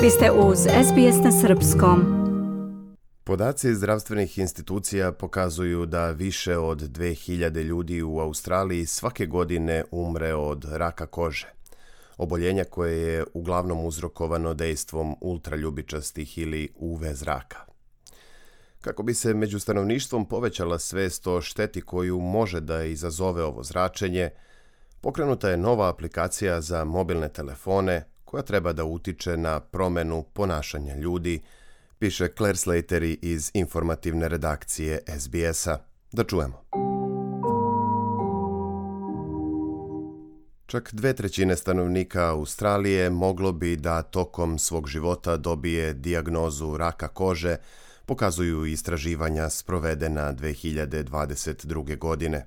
Vi ste uz SBS na srpskom. Podaci zdravstvenih institucija pokazuju da više od 2000 ljudi u Australiji svake godine umre od raka kože, oboljenja koje je uglavnom uzrokovano dejstvom ultraljubičastih ili UV zraka. Kako bi se među stanovništvom povećala svest o šteti koju može da izazove ovo zračenje, pokrenuta je nova aplikacija za mobilne telefone koja treba da utiče na promenu ponašanja ljudi, piše Claire Slater iz informativne redakcije SBS-a. Da čujemo. Čak 2/3 stanovnika Australije moglo bi da tokom svog života dobije dijagnozu raka kože, pokazuju istraživanja sprovedena 2022. godine.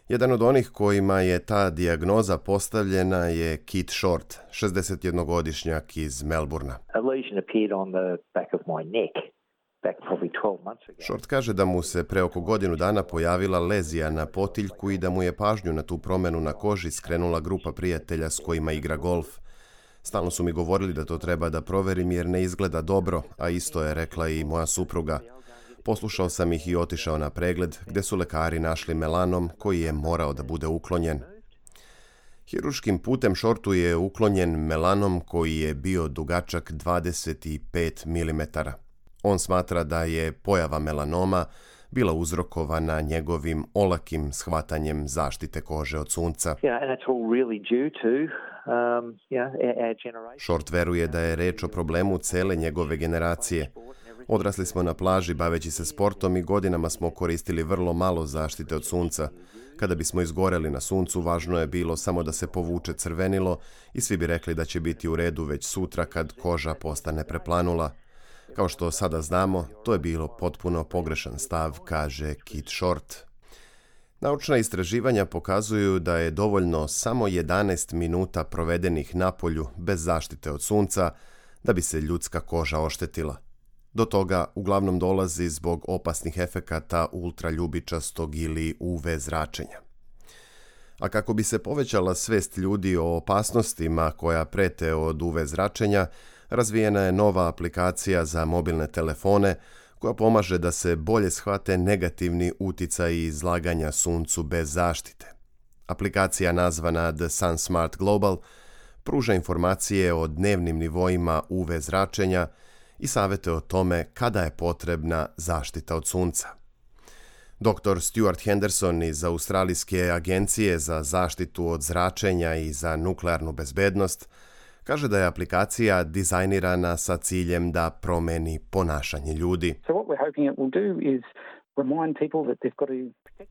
Jedan od onih kojima je ta dijagnoza postavljena je Keith Short, 61-godišnjak iz Melbourna. Short kaže da mu se pre oko godinu dana pojavila lezija na potiljku i da mu je pažnju na tu promenu na koži skrenula grupa prijatelja s kojima igra golf. Stalno su mi govorili da to treba da proverim jer ne izgleda dobro, a isto je rekla i moja supruga. Poslušao sam ih i otišao na pregled gdje su lekari našli melanom koji je morao da bude uklonjen. Hiruškim putem Shortu je uklonjen melanom koji je bio dugačak 25 mm. On smatra da je pojava melanoma bila uzrokovana njegovim olakim shvatanjem zaštite kože od sunca. Short veruje da je reč o problemu cele njegove generacije. Odrasli smo na plaži baveći se sportom i godinama smo koristili vrlo malo zaštite od sunca. Kada bismo izgoreli na suncu, važno je bilo samo da se povuče crvenilo i svi bi rekli da će biti u redu već sutra kad koža postane preplanula. Kao što sada znamo, to je bilo potpuno pogrešan stav, kaže Keith Short. Naučna istraživanja pokazuju da je dovoljno samo 11 minuta provedenih napolju bez zaštite od sunca da bi se ljudska koža oštetila. Do toga uglavnom dolazi zbog opasnih efekata ultraljubičastog ili UV zračenja. A kako bi se povećala svest ljudi o opasnostima koja prete od UV zračenja, razvijena je nova aplikacija za mobilne telefone koja pomaže da se bolje shvate negativni uticaji izlaganja suncu bez zaštite. Aplikacija nazvana The Sun Smart Global pruža informacije o dnevnim nivoima UV zračenja i savete o tome kada je potrebna zaštita od sunca. Dr. Stuart Henderson iz Australijske agencije za zaštitu od zračenja i za nuklearnu bezbednost kaže da je aplikacija dizajnirana sa ciljem da promeni ponašanje ljudi.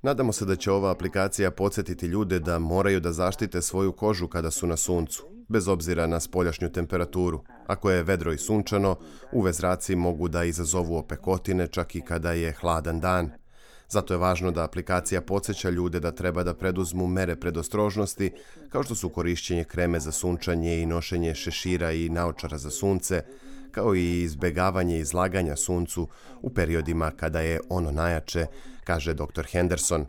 Nadamo se da će ova aplikacija podsjetiti ljude da moraju da zaštite svoju kožu kada su na suncu, bez obzira na spoljašnju temperaturu. Ako je vedro i sunčano, UV zraci mogu da izazovu opekotine čak i kada je hladan dan. Zato je važno da aplikacija podsjeća ljude da treba da preduzmu mere predostrožnosti, kao što su korišćenje kreme za sunčanje i nošenje šešira i naočara za sunce, kao i izbegavanje izlaganja suncu u periodima kada je ono najjače, kaže dr. Henderson.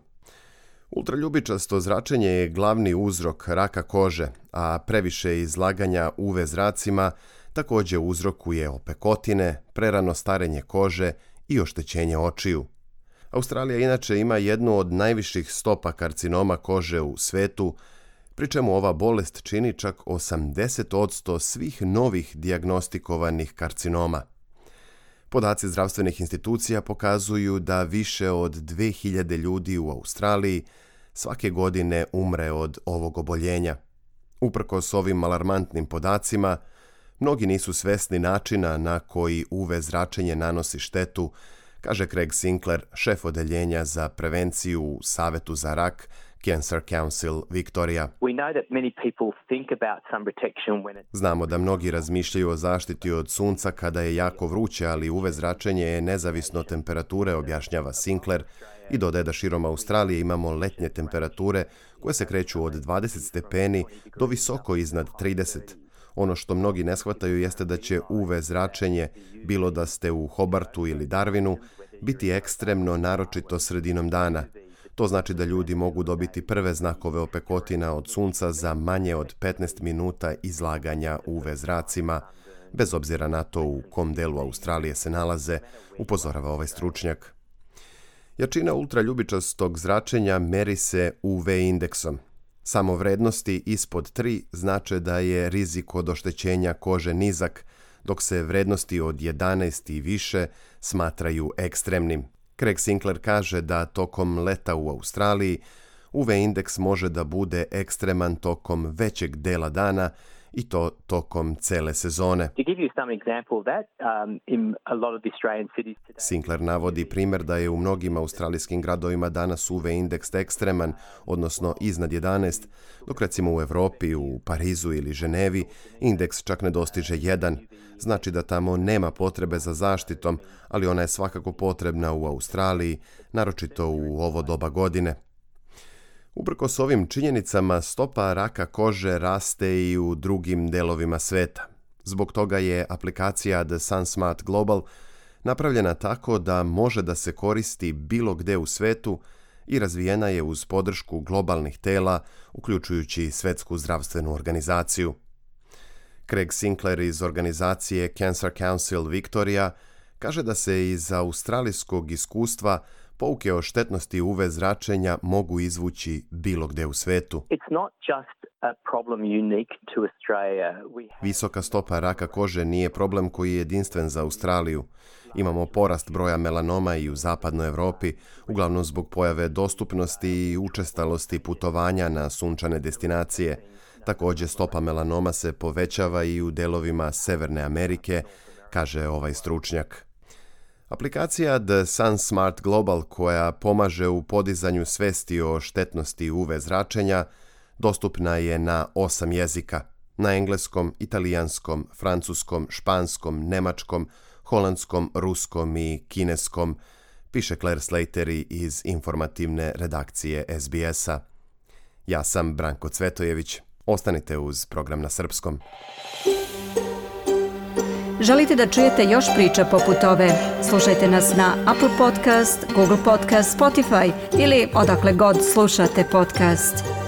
Ultraljubičasto zračenje je glavni uzrok raka kože, a previše izlaganja UV zracima također uzrokuje opekotine, prerano starenje kože i oštećenje očiju. Australija inače ima jednu od najviših stopa karcinoma kože u svetu, pri čemu ova bolest čini čak 80% svih novih dijagnostikovanih karcinoma. Podaci zdravstvenih institucija pokazuju da više od 2000 ljudi u Australiji svake godine umre od ovog oboljenja. Uprkos ovim alarmantnim podacima, mnogi nisu svesni načina na koji UV zračenje nanosi štetu, kaže Craig Sinclair, šef odeljenja za prevenciju u Savetu za rak Cancer Council Victoria. Znamo da mnogi razmišljaju o zaštiti od sunca kada je jako vruće, ali UV zračenje je nezavisno od temperature, objašnjava Sinclair, i dodaje da širom Australije imamo letnje temperature koje se kreću od 20 stepeni do visoko iznad 30. Ono što mnogi ne shvataju jeste da će UV zračenje, bilo da ste u Hobartu ili Darwinu, biti ekstremno, naročito sredinom dana. To znači da ljudi mogu dobiti prve znakove opekotina od sunca za manje od 15 minuta izlaganja UV zracima, bez obzira na to u kom delu Australije se nalaze, upozorava ovaj stručnjak. Jačina ultraljubičastog zračenja meri se UV indeksom. Samo vrednosti ispod 3 znače da je rizik od oštećenja kože nizak, dok se vrednosti od 11 i više smatraju ekstremnim. Craig Sinclair kaže da tokom leta u Australiji UV indeks može da bude ekstreman tokom većeg dela dana i to tokom cele sezone. Sinclair navodi primjer da je u mnogim australijskim gradovima danas UV indeks ekstreman, odnosno iznad 11, dok recimo u Evropi, u Parizu ili Ženevi indeks čak ne dostiže 1. Znači da tamo nema potrebe za zaštitom, ali ona je svakako potrebna u Australiji, naročito u ovo doba godine. Uprkos ovim činjenicama, stopa raka kože raste i u drugim delovima sveta. Zbog toga je aplikacija The SunSmart Global napravljena tako da može da se koristi bilo gde u svetu i razvijena je uz podršku globalnih tela, uključujući Svetsku zdravstvenu organizaciju. Craig Sinclair iz organizacije Cancer Council Victoria kaže da se iz australijskog iskustva pouke o štetnosti UV zračenja mogu izvući bilo gde u svetu. Visoka stopa raka kože nije problem koji je jedinstven za Australiju. Imamo porast broja melanoma i u zapadnoj Evropi, uglavnom zbog pojave dostupnosti i učestalosti putovanja na sunčane destinacije. Također stopa melanoma se povećava i u delovima Severne Amerike, kaže ovaj stručnjak. Aplikacija The SunSmart Global, koja pomaže u podizanju svesti o štetnosti UV zračenja, dostupna je na 8 jezika. Na engleskom, italijanskom, francuskom, španskom, nemačkom, holandskom, ruskom i kineskom, piše Claire Slattery iz informativne redakcije SBS-a. Ja sam Branko Cvetojević. Ostanite uz program na srpskom. Želite da čujete još priča poput ove? Slušajte nas na Apple Podcast, Google Podcast, Spotify ili odakle god slušate podcast.